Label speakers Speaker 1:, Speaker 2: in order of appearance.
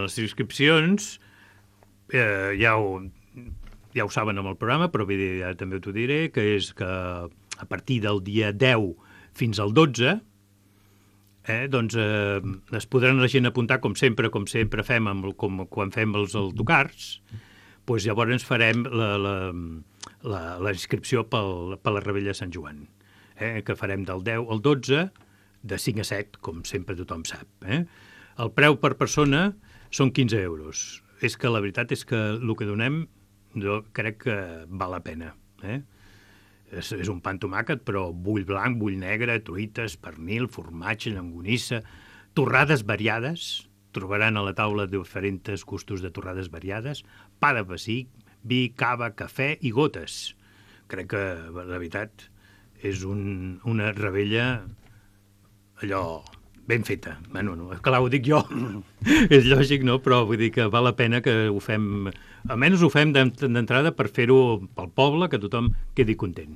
Speaker 1: Les inscripcions ja ho saben amb el programa, però ja també t'ho diré, que és que a partir del dia 10 fins al 12 doncs es podran la gent apuntar com sempre fem quan fem els autocars. Doncs llavors farem la inscripció per la Revetlla de Sant Joan, que farem del 10 al 12, de 5 a 7, com sempre tothom sap. El preu per persona són 15 euros. És que la veritat és que el que donem jo crec que val la pena. És un pa amb tomàquet, però bull blanc, bull negre, truites, pernil, formatge, llonganissa, torrades variades. Trobaran a la taula diferents gustos de torrades variades, pa de pessic, vi, cava, cafè i gotes. Crec que, la veritat, és una revetlla allò ben feta. Bueno, clar, ho dic jo, és lògic, no? Però vull dir que val la pena que ho fem, almenys ho fem d'entrada per fer-ho pel poble, que tothom quedi content.